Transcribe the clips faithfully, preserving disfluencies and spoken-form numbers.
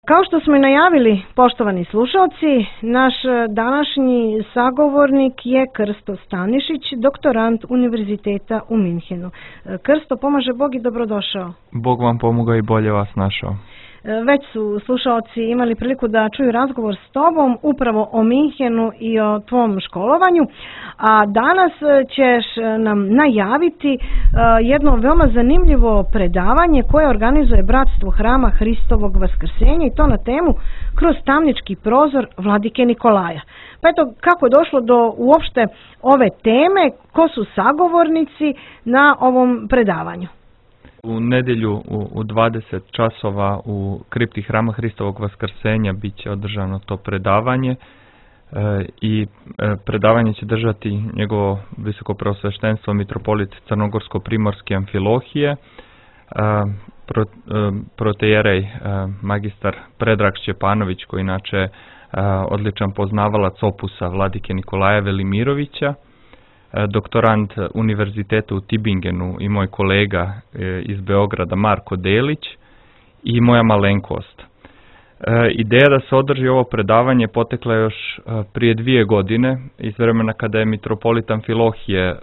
Kao što smo i najavili, poštovani slušalci, naš današnji sagovornik je Krsto Stanišić, doktorant Univerziteta u Minhenu. Krsto, pomaže Bog i dobrodošao. Bog vam pomogao i bolje vas našao. Već su slušalci imali priliku da čuju razgovor s tobom upravo o Minhenu i o tvom školovanju, a danas ćeš nam najaviti jedno veoma zanimljivo predavanje koje organizuje Bratstvo Hrama Hristovog Vaskrsenja i to na temu Kroz tamnički prozor Vladike Nikolaja. Pa eto, kako je došlo do uopšte ove teme, ko su sagovornici na ovom predavanju? U nedjelju u dvadeset časova u kripti Hrama Hristovog Vaskrsenja bit će održano to predavanje i predavanje će držati njegovo visoko preosveštenstvo mitropolit Crnogorsko-primorske Amfilohije, protejerej magistar Predrag Šćepanović, koji inače odličan poznavalac opusa Vladike Nikolaja Velimirovića, doktorant Univerziteta u Tübingenu i moj kolega iz Beograda Marko Delić i moja malenkost. Ideja da se održi ovo predavanje potekla još prije dvije godine iz vremena kada je mitropolit Amfilohije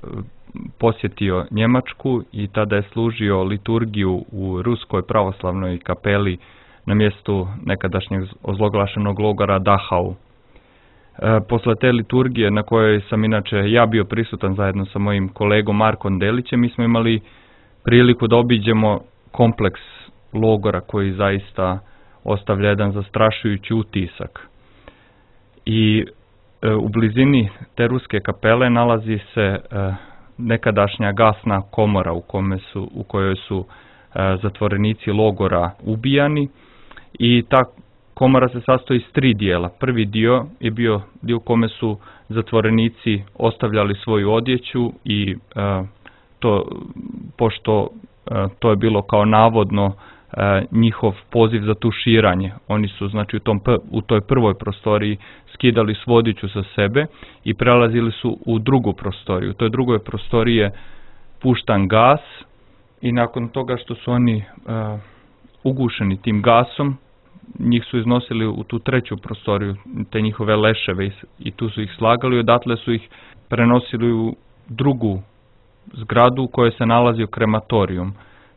posjetio Njemačku i tada je služio liturgiju u Ruskoj pravoslavnoj kapeli na mjestu nekadašnjeg ozloglašenog logora Dachau. Posle te liturgije na kojoj sam inače ja bio prisutan zajedno sa mojim kolegom Markom Delićem, mi smo imali priliku da obiđemo kompleks logora koji zaista ostavlja jedan zastrašujući utisak. I e, u blizini te ruske kapele nalazi se e, nekadašnja gasna komora u, kome su, u kojoj su e, zatvorenici logora ubijani i ta komora se sastoji iz tri dijela. Prvi dio je bio dio u kome su zatvorenici ostavljali svoju odjeću i e, to, pošto e, to je bilo kao navodno e, njihov poziv za tuširanje. Oni su znači u, tom, u toj prvoj prostoriji skidali svu odjeću sa sebe i prelazili su u drugu prostoriju. U toj drugoj prostoriji je puštan gas i nakon toga što su oni e, ugušeni tim gasom, njih su iznosili u tu treću prostoriju, te njihove leševe i tu su ih slagali, odatle su ih prenosili u drugu zgradu u kojoj se nalazio krematorijum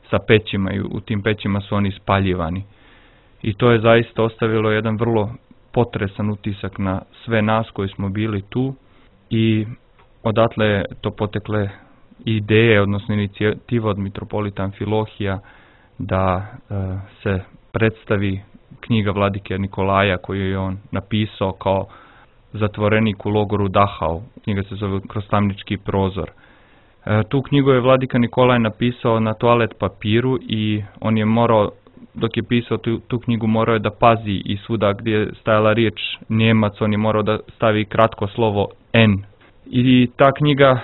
sa pećima i u tim pećima su oni spaljivani. I to je zaista ostavilo jedan vrlo potresan utisak na sve nas koji smo bili tu i odatle je to potekle ideje, odnosno inicijativa od mitropolita Amfilohija da e, se predstavi knjiga Vladike Nikolaja koju je on napisao kao zatvorenik u logoru Dachau. Knjiga se zove Kroz tamnički prozor. E, tu knjigu je Vladika Nikolaj napisao na toalet papiru i on je morao, dok je pisao tu, tu knjigu, morao je da pazi i svuda gdje je stajala riječ Njemac, on je morao da stavi kratko slovo N. I ta knjiga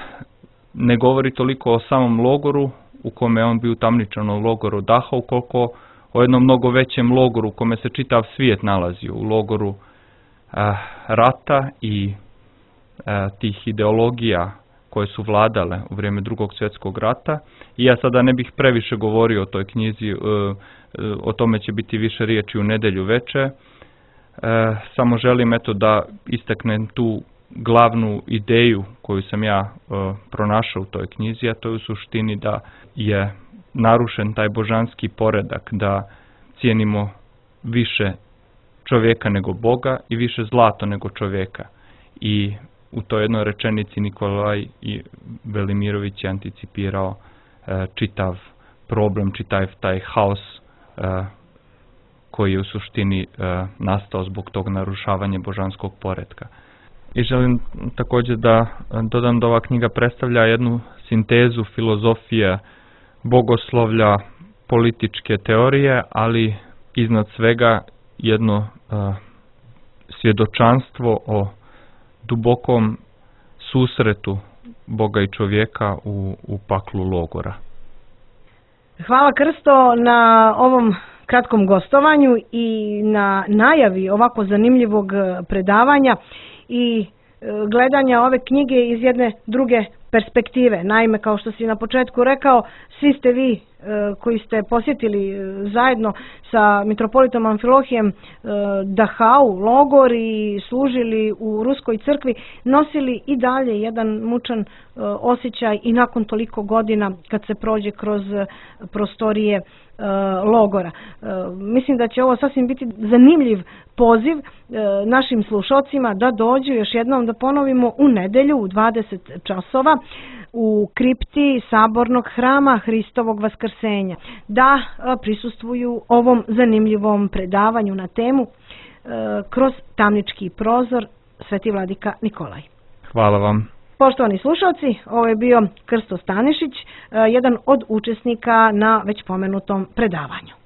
ne govori toliko o samom logoru u kome je on bio utamničen u logoru Dachau, koliko o jednom mnogo većem logoru u kome se čitav svijet nalazio, u logoru a, rata i a, tih ideologija koje su vladale u vrijeme Drugog svjetskog rata. I ja sada ne bih previše govorio o toj knjizi, e, o tome će biti više riječi u nedjelju veče. E, samo želim eto da istaknem tu glavnu ideju koju sam ja e, pronašao u toj knjizi, a to je u suštini da je narušen taj božanski poredak, da cijenimo više čovjeka nego Boga i više zlato nego čovjeka. I u toj jednoj rečenici Nikolaj i Velimirović je anticipirao e, čitav problem, čitav taj haos e, koji je u suštini e, nastao zbog tog narušavanja božanskog poretka. I želim također da dodam da ova knjiga predstavlja jednu sintezu filozofije, bogoslovlja, političke teorije, ali iznad svega jedno uh, svjedočanstvo o dubokom susretu Boga i čovjeka u, u paklu logora. Hvala Krsto na ovom kratkom gostovanju i na najavi ovako zanimljivog predavanja i gledanja ove knjige iz jedne druge perspektive. Naime, kao što si na početku rekao, svi ste vi koji ste posjetili zajedno sa mitropolitom Amfilohijem Dachau, logor i služili u Ruskoj crkvi, nosili i dalje jedan mučan osjećaj i nakon toliko godina kad se prođe kroz prostorije logora. Mislim da će ovo sasvim biti zanimljiv poziv našim slušocima da dođu, još jednom da ponovimo, u nedelju u dvadeset časova u kripti Sabornog hrama Hristovog vaskrsenja, da prisustvuju ovom zanimljivom predavanju na temu Kroz tamnički prozor, Sveti vladika Nikolaj. Hvala vam. Poštovani slušalci, ovo je bio Krsto Stanišić, jedan od učesnika na već pomenutom predavanju.